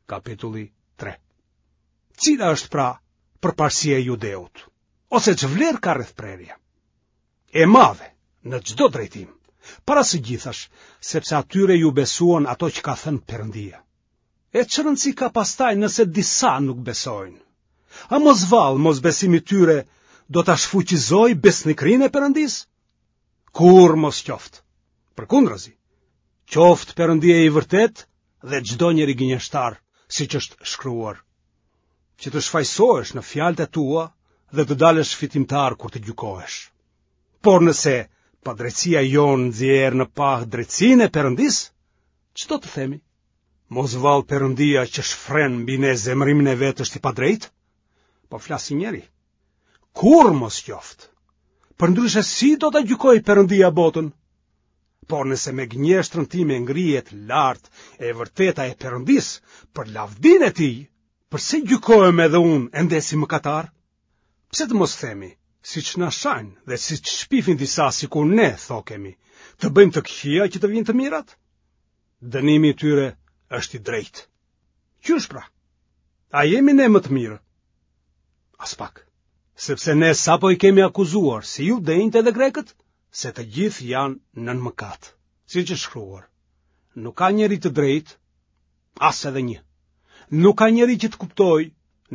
Kapitulli 3. Cila është pra përparësia e judeut? Ose ç'vlerë ka rrethprerja? E madhe, në çdo drejtim, para së gjithash, sepse atyre iu besuan ato që ka thënë Perëndia. E ç'rëndësi ka pastaj nëse disa nuk besojnë? A mos vallë mosbesimi i tyre do ta shfuqizojë besnikërinë e Perëndisë? Kurrë mos qoftë. Përkundrazi, qoftë Perëndia i vërtetë dhe çdo njeri gënjeshtar, siç është shkruar, që të shfajësohesh në fjalët e tua dhe të dalësh fitimtar kur të gjykohesh. Por nëse padrejtësia jonë nxjerr në pah drejtësinë e Perëndisë, ç'do të themi? Mos vallë Perëndia që shfren mbi ne zemërimin e vet është i padrejtë? Po flas si njeri. Kurrë mos qoftë. Përndryshe si do ta gjykojë Perëndia botën? Por nëse me gënjeshtrën time ngrihet lart e vërteta e Perëndisë për lavdinë e tij, përse gjykohem edhe unë ende si mëkatar? Pse të mos themi, siç na shajnë dhe siç shpifin disa sikur ne thokemi, të bëjmë të këqija që të vijnë të mirat? Dënimi i tyre është i drejtë. Qysh pra? A jemi ne më të mirë? Aspak. Sepse ne sapo i kemi akuzuar, si judenjtë edhe grekët, se të gjithë janë nën mëkat. Siç është shkruar, nuk ka njeri të drejtë, as edhe një. Nuk ka njeri që të kuptojë,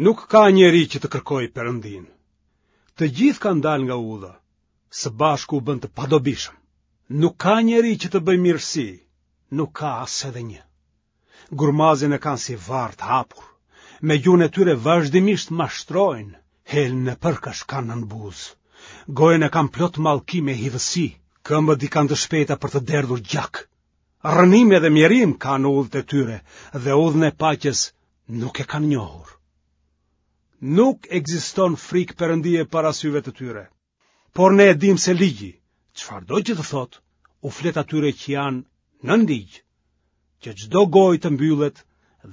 nuk ka njeri që të kërkojë Perëndinë. Të gjithë kanë dalë nga udha, së bashku u bënë të padobishëm. Nuk ka njeri që të bëjë mirësi, nuk ka as edhe një. Gurmazin e kanë si varr të hapur, me gjuhën e tyre vazhdimisht mashtrojnë, helm nepërkash kanë nën buzë. Gojën e kanë plot mallkim e hidhësi, këmbët i kanë të shpejta për të derdhur gjak. Rrënim edhe mjerim ka në udhët e tyre dhe udhën e paqes nuk e kanë njohur. Nuk ekziston frikë Perëndie para syve të tyre. Por ne e dimë se ligji, çfarëdo që të thotë, u flet atyre që janë nën ligj, që çdo gojë të mbyllet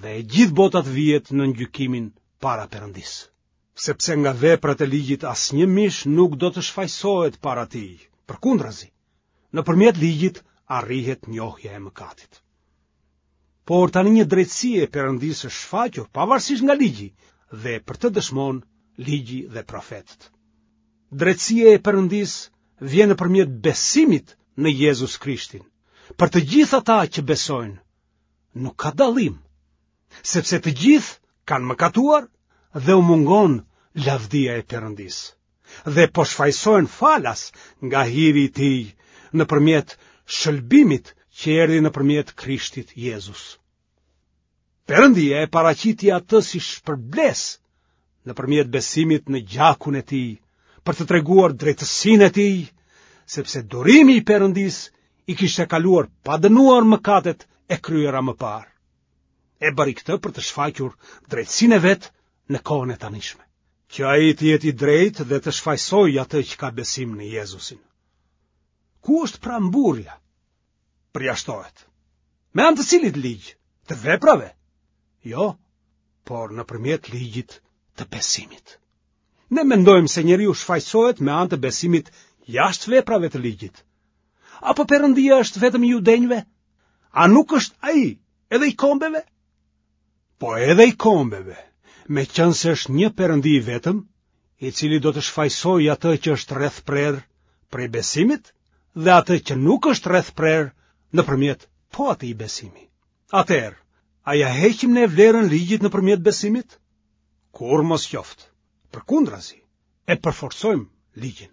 dhe e gjithë bota të vihet nën gjykimin para Perëndisë. Sepse nga veprat e ligjit asnjë mish nuk do të shfajësohet para tij, përkundrazi, nëpërmjet ligjit arrihet njohja e mëkatit. Por tani një drejtësi e Perëndisë është shfaqur pavarësisht nga ligji dhe për të dëshmon ligji dhe profetët. Drejtësia e Perëndisë vjen nëpërmjet besimit në Jezus Krishtin. Për të gjithë ata që besojnë, nuk ka dallim, sepse të gjithë kanë mëkatuar dhe u mungon lavdia e Perëndisë. Dhe po shfajësohen falas nga hiri i tij nëpërmjet shëlbimit që erdhi nëpërmjet Krishtit Jezus. Perëndia e paraqiti atë si shpërblesë nëpërmjet besimit në gjakun e tij, për të treguar drejtësinë e tij, sepse durimi i Perëndisë i kishte kaluar pa dënuar mëkatet e kryera më parë. E bëri këtë për të shfaqur drejtësinë e vet në kohën e tanishme, që ai të jetë i drejtë dhe të shfajësojë atë që ka besim në Jezusin. Ku është pra mburrja? Përjashtohet. Me anë të cilit ligj? Të veprave? Jo, por nëpërmjet ligjit të besimit. Ne mendojmë se njeriu shfajësohet me anë të besimit jashtë veprave të ligjit. Apo Perëndia është vetëm i judenjve? A nuk është ai edhe i kombeve? Po edhe i kombeve, meqenëse është një Perëndi i vetëm, i cili do të shfajësojë atë që është rrethprerë prej besimit dhe atë që nuk është rrethprerë nëpërmjet po atij besimi. Atëherë, a ia heqim ne vlerën ligjit nëpërmjet besimit? Kurrë mos qoftë. Përkundrazi, e përforcojmë ligjin.